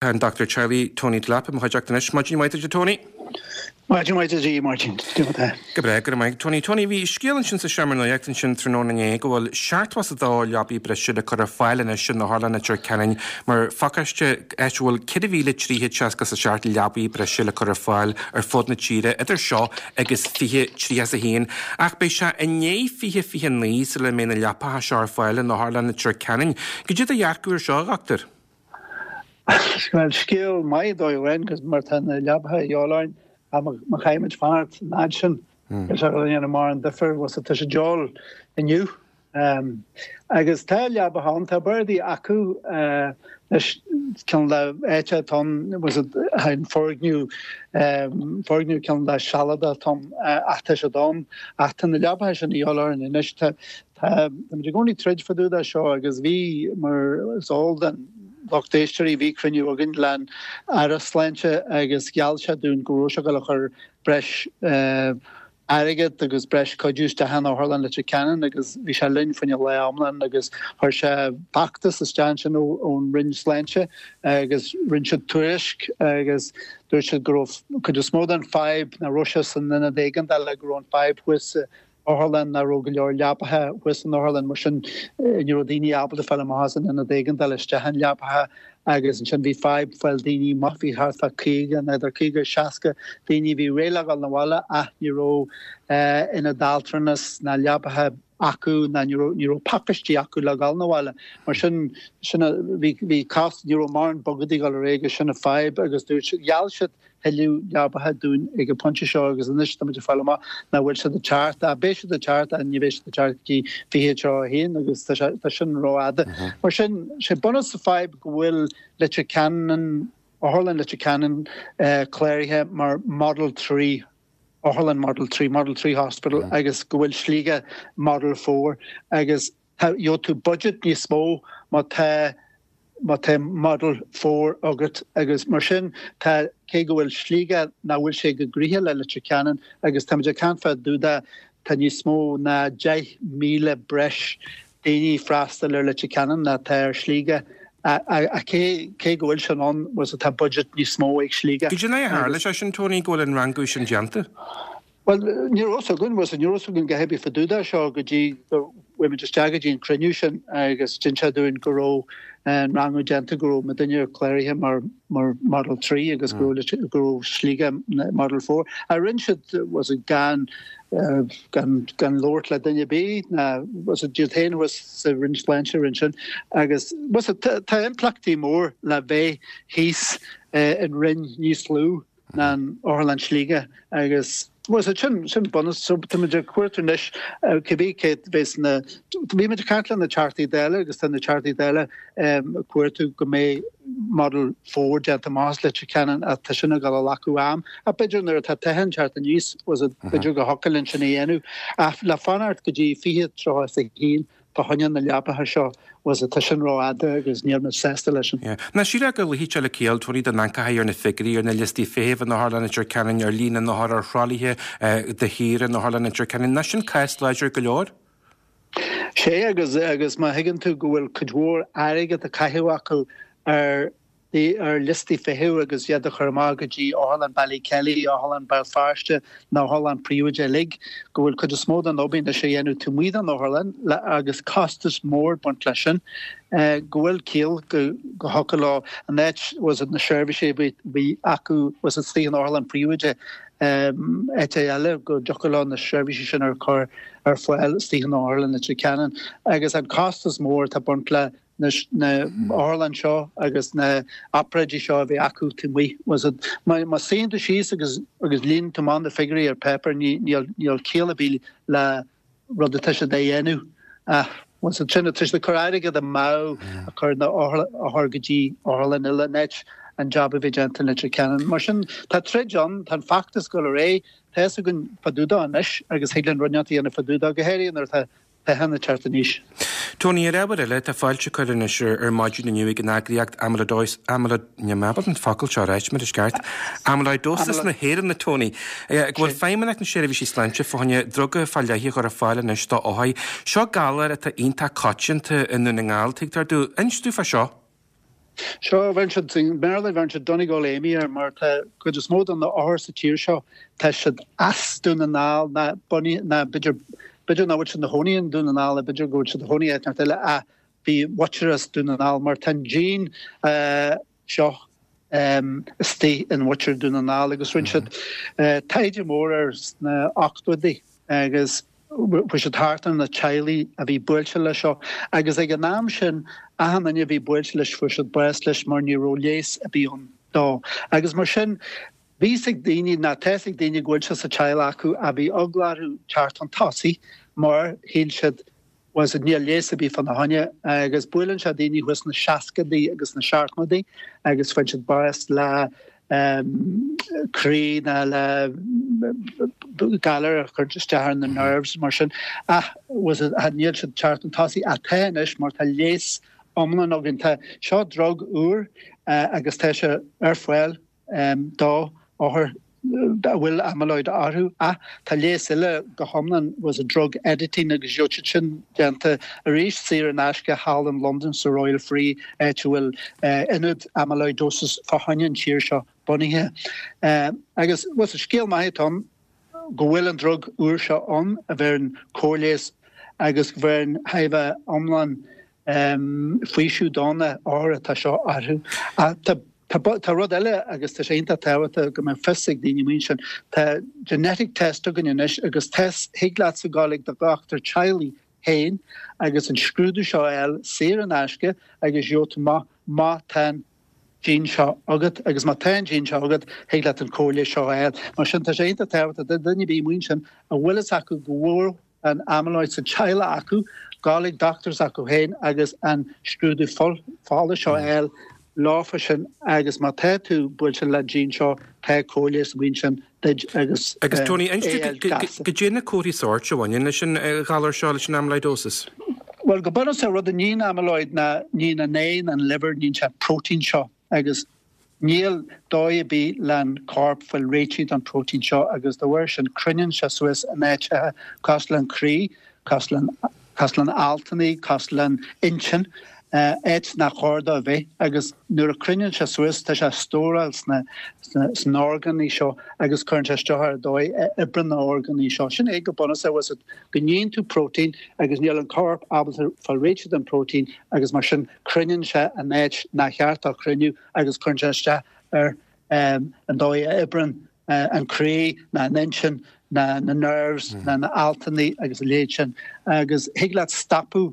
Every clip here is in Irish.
Tá an Dochtúir Teaghlaigh Tony Delap i mo chuideachta anois. Maidin mhaith duit a Tony. Maidin mhaith duit a Mháirtín. Cad é mar atá? Go breá, go raibh maith. Tony, Tony, bhí scéal ansin sa seomra nuachta ansin tráthnóna inné go bhfuil 72 leabaí breise le cur ar fáil anois in Otharlann Leitir Ceanainn mar phacáiste áit a bhfuil 4,367 leabaí breise le cur ar fáil ar fud na tíre idir seo agus 2031. Ach beidh sé i ndiaidh 2029 sula mbeidh na leapacha seo ar fáil in Otharlann Leitir Ceanainn. Cad é do dhearcadh ar seo, a dhochtúir? Bhuel, scéal maith dóigh amháin agus mar tá na leabacha a dhíobháil orainn, má chaithfimid fanacht an fhad sin, níl sé ag déanamh mórán difir, bhuel tá sé de dhíobháil inniu. Agus tá leabacha ann, tá bardaí acu anois, ceann de áit atá ann, bhuel an foirgneamh, foirgneamh ceann de sealadach atá ann ach tá siad ann, ach tá na leabacha sin a dhíobháil orainn anois. Tá Táimid i gcónaí ag troid fá dtaobh de seo agus bhí, mar is eol don lucht éisteoirí, bhí cruinniú againn le'n Aire Sláinte agus gheall sé dúinn go raibh sé ag dul a chur breis airgead agus breis cuidiú isteach in Otharlann Leitir Ceanainn agus bhí sé linn fá choinne lá iomlán agus chuir sé feachtas isteach ansin ón Roinn Sláinte agus rinne siad tuairisc agus dúirt siad go raibh cuid is mó den fadhb nach raibh sé san ionad éigeandála go raibh an fadhb thuas sa otharlann nach raibh go leor leapacha thuas san otharlann, mar sin ní raibh daoine ábalta fáil amach as an ionad éigeandála isteach in leapacha agus ansin bhí fadhb fáil daoine amach, bhí thart fá 50, nó idir 50 agus 60 daoine a bhí réidh le dhul 'na bhaile ach ní raibh ionad altranais ná leapacha acu ná ní raibh, ní raibh pacáistí acu le dhul 'na bhaile. Mar sin, sin a, bhí, bhí cás, ní raibh mórán bogadaí ag dul ar aghaidh agus sin an fadhb agus dúirt, gheall siad thuilleadh leapacha dúinn ag an bpointe seo agus anois táimid ag fáil amach nach bhfuil siad ag teacht, ach beidh siad ag teacht ach ní bheidh siad ag teacht go dtí 2031 agus tá sé, tá sin rófhada. Mar sin, sé bunús an fadhb go bhfuil Leitir Ceanainn, Otharlann Leitir Ceanainn cláraithe mar Model 3, Otharlann Model 3, Model 3 Hospital agus go bhfuil Sligeach Model 4 agus tá, gheobhaidh tú budget níos mó má tá má tá Model 4 agat agus mar sin tá, cé go bhfuil Sligeach nach bhfuil sé go gnoitheach le Leitir Ceanainn agus táimid ag caint fá dtaobh de, tá níos mó ná 10,000 breis daoine ag freastal ar Leitir Ceanainn ná tá ar Shligeach ach cé, cé go bhfuil sin ann, bhuel tá budget níos mó ag Sligeach. Cad é a tharla sé sin Tony go bhfuil an rangú sin déanta? Bhuel, ní raibh fhios againn, bhuel, ní raibh fhios againn a dhath ar bith fá dtaobh de seo go dtí go bhfuair muid isteach go dtí an cruinniú sin agus d'inis sé dúinn go raibh an rangú déanta, go raibh muidinne cláraithe mar mar Model 3 agus go raibh go raibh Sligeach Model 4. Ach rinne siad, was it gan gan gan labhairt le duine ar bith ná was it iad féin thuas sa Roinn Sláinte a rinne sin agus was it tá impleachtaí mór le bheith thíos in roinn níos lú. ná an Otharlann Sligeach agus bhuel so sin sin bunús so táimid ag cuartú anois cibé cé bheas na bhí muid ag caint le na Teachtaí Dála agus tá na Teachtaí Dála ag cuartú go mbeidh Model 4 déanta amach as Leitir Ceanainn ach tá sin ag dul a ghlacadh am ach b'fhéidir nuair atá toghchán ag teacht aníos was it b'fhéidir go thiocfadh linn sin a dhéanamh ach le fanacht go dtí 2031 Fá choinne na leapacha seo, bhuel tá sin rófhada agus níl muid sásta leis sin. Nach sílfeá go luífeadh sé le ciall, Tony, dá n-amharcfá ar na figiúirí, ar na liostaí feithimh in Otharlann Leitir Ceanainn, ar líon na n-othar ar thralaithe de shíor in Otharlann Leitir Ceanainn. Nach sin cás láidir go leor? Sé agus agus má thuigeann tú go bhfuil cuid mhór airgead á caitheamh acu ar ar liostaí feithimh agus iad a chur amach go dtí Otharlann Ballykelly, Otharlann Béal Feirste, na hotharlann príobháideacha uilig, go bhfuil cuid is mó den obair anois á dhéanamh taobh amuigh den otharlann agus costas mór ag baint leis sin, go bhfuil ciall go thiocfadh leo an áit was it na seirbhísí a bhí acu was it istigh in otharlann príobháideach áit eile go dtiocfadh leo na seirbhísí sin a chur ar fáil istigh in Otharlann Leitir Ceanainn agus an costas mór atá ag baint le na otharlann seo agus na obráidí seo a bheith acu taobh amuigh. Was it, má má suíonn tú síos agus agus líonann tú amach na figiúirí ar páipéar ní níl níl ciall ar bith le rud atá siad a dhéanamh. Ach was it sin tá siad ag cur airgead amú a chur na othair go dtí otharlann eile in áit an jab a bheith déanta in Leitir Ceanainn. Mar sin tá troid ann, tá an feachtas ag dul ar aghaidh, tá fhios againn fá dtaobh dó anois agus thig linn rud inteacht a dhéanamh fá dtaobh dó, go háirithe nuair atá Toghchán ag teacht aníos. Tony, ar ábhar eile, tá fáilte curtha anois ar maidin inniu ag an eagraíocht Amyloidosis, Amyloid, níl mé ábalta an focal seo a ráit mar is ceart, Amyloidosis na hÉireann, a Tony, go bhfuil Feidhmeannacht na Seirbhísí Sláinte fá choinne druga fá leith a chur ar fáil anois do othair. Seo galar atá iontach coitianta i nDún na nGall, tuigtear domh. Inis domh fá seo. Seo, bheireann siad, i mBéarla bheireann siad Donegal AMI air mar tá cuid is mó de na othair sa tír seo, tá siad as Dún na nGall ná bunaithe, ná b'fhéidir, b'fhéidir nach bhfuil siad ina chónaí i nDún na nGall, b'fhéidir go bhfuil siad ina chónaí áit inteacht eile ach bhí a muintir as Dún na nGall mar tá an gene seo istigh in mhuintir Dún na nGall agus rinne siad taighde mór air sna ochtóidí agus chuaigh siad thart ar na teaghlaigh a bhí buailte leis seo agus ag an am sin achan duine a bhí buailte leis fuair siad bás leis mar ní raibh leigheas ar bith ann dó agus mar sin bhí fhios ag daoine ná tá fhios ag daoine go bhfuil sé sa teaghlach acu ach bhí eagla orthu teacht chun tosaigh mar shíl siad bhuel níl leigheas ar bith fána choinne agus buaileann sé daoine thuas sna seascadaí agus sna seachtmadaí agus faigheann siad bás le croí ná le galar a chuireann isteach ar na nerves mar sin. Ach bhuel níl siad teacht chun tosaigh ach tá anois mar tá leigheas iomlán againn. Tá seo drug úr agus tá sé ar fáil. do othair a bhfuil amyloid orthu ach tá leigheas eile go hiomlán bhuel drug editing agus gheobhaidh siad sin déanta arís saor in aisce thall in Londain sa Royal Free áit a bhfuil ionad amyloidosis fá choinne an tír seo bunaithe. Agus bhuel scéal maith atá ann go bhfuil an drug úr seo ann a bheireann cóirleigheas agus bheireann thar a bheith iomlán faoiseamh do na othair atá seo orthu. Tá rud eile agus tá sé iontach tábhachtach go mbeadh fios ag daoine amuigh ansin, tá genetic test againn anois agus test thig leatsa gabháil ag do dhochtúir teaghlaigh féin agus an scrúdú seo a fháil saor in aisce agus gheobhaidh tú amach má tá an gene seo agat agus má tá an gene seo agat thig leat an cóirleigheas seo a fháil. Mar sin tá sé iontach tábhachtach do dhuine ar bith amuigh ansin a bhfuil fhios acu go bhfuil an amyloid sa teaghlach acu, gabháil ag dochtúir s'acu féin agus an scrúdú fola seo a fháil leofa sin agus má tá tú buailte le gene seo tá cóirleigheas amuigh ansin duit agus Agus Tony, inis dúinn goidé na comharthaí sóirt a bhaineann leis an ghalar seo, leis an amyloidosis? Bhuel, go bunúsach, rud a níonn amyloid ná níonn an ae, an liver, níonn sé an próitéin seo agus Níl dóigh ar bith len corp fáil réitithe don próitéin seo agus dá bharr sin cruinníonn sé suas in áiteacha cosúil len croí, cosúil len altannaí, cosúil len intinn, áit nach chóir dó a bheith agus nuair a cruinníonn sé suas tá sé ag stóráil sna sna orgánaí seo agus cuireann sé isteach ar an dóigh a oibreann na orgánaí seo. Sin é go bunúsach bhfuil fhios agat go níonn tú próitéin agus níl an corp ábalta fáil réitithe don próitéin agus mar sin cruinníonn sé in áit nár cheart dó cruinniú agus cuireann sé isteach ar an dóigh a oibreann an croí ná an intinn ná na nerves ná na altannaí agus a leithéid sin agus thig leat stopadh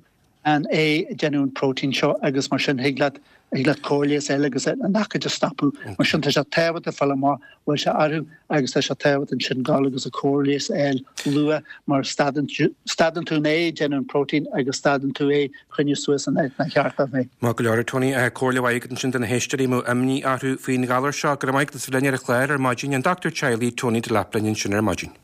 an ae ag déanamh an próitéin seo agus mar sin thig leat thig leat cóirleigheas eile agus an aicíd a stopadh. Mar sin tá sé tábhachtach fáil amach bhfuil sé orthu agus tá sé tábhachtach ansin gabháil agus an cóirleigheas a fháil luath mar stadann stadann tú an ae ag déanamh an próitéin agus stadann tú é cruinniú suas in áit nár cheart dó bheith. Maith go leor, a Tony. Comhairle mhaith agat ansin do na héisteoirí a mbeadh imní orthu faoin ghalar seo. Go raibh maith agat as bheith linn ar an chlár ar maidin. An Dochtúir Teaghlaigh Tony Delap linn ansin ar maidin.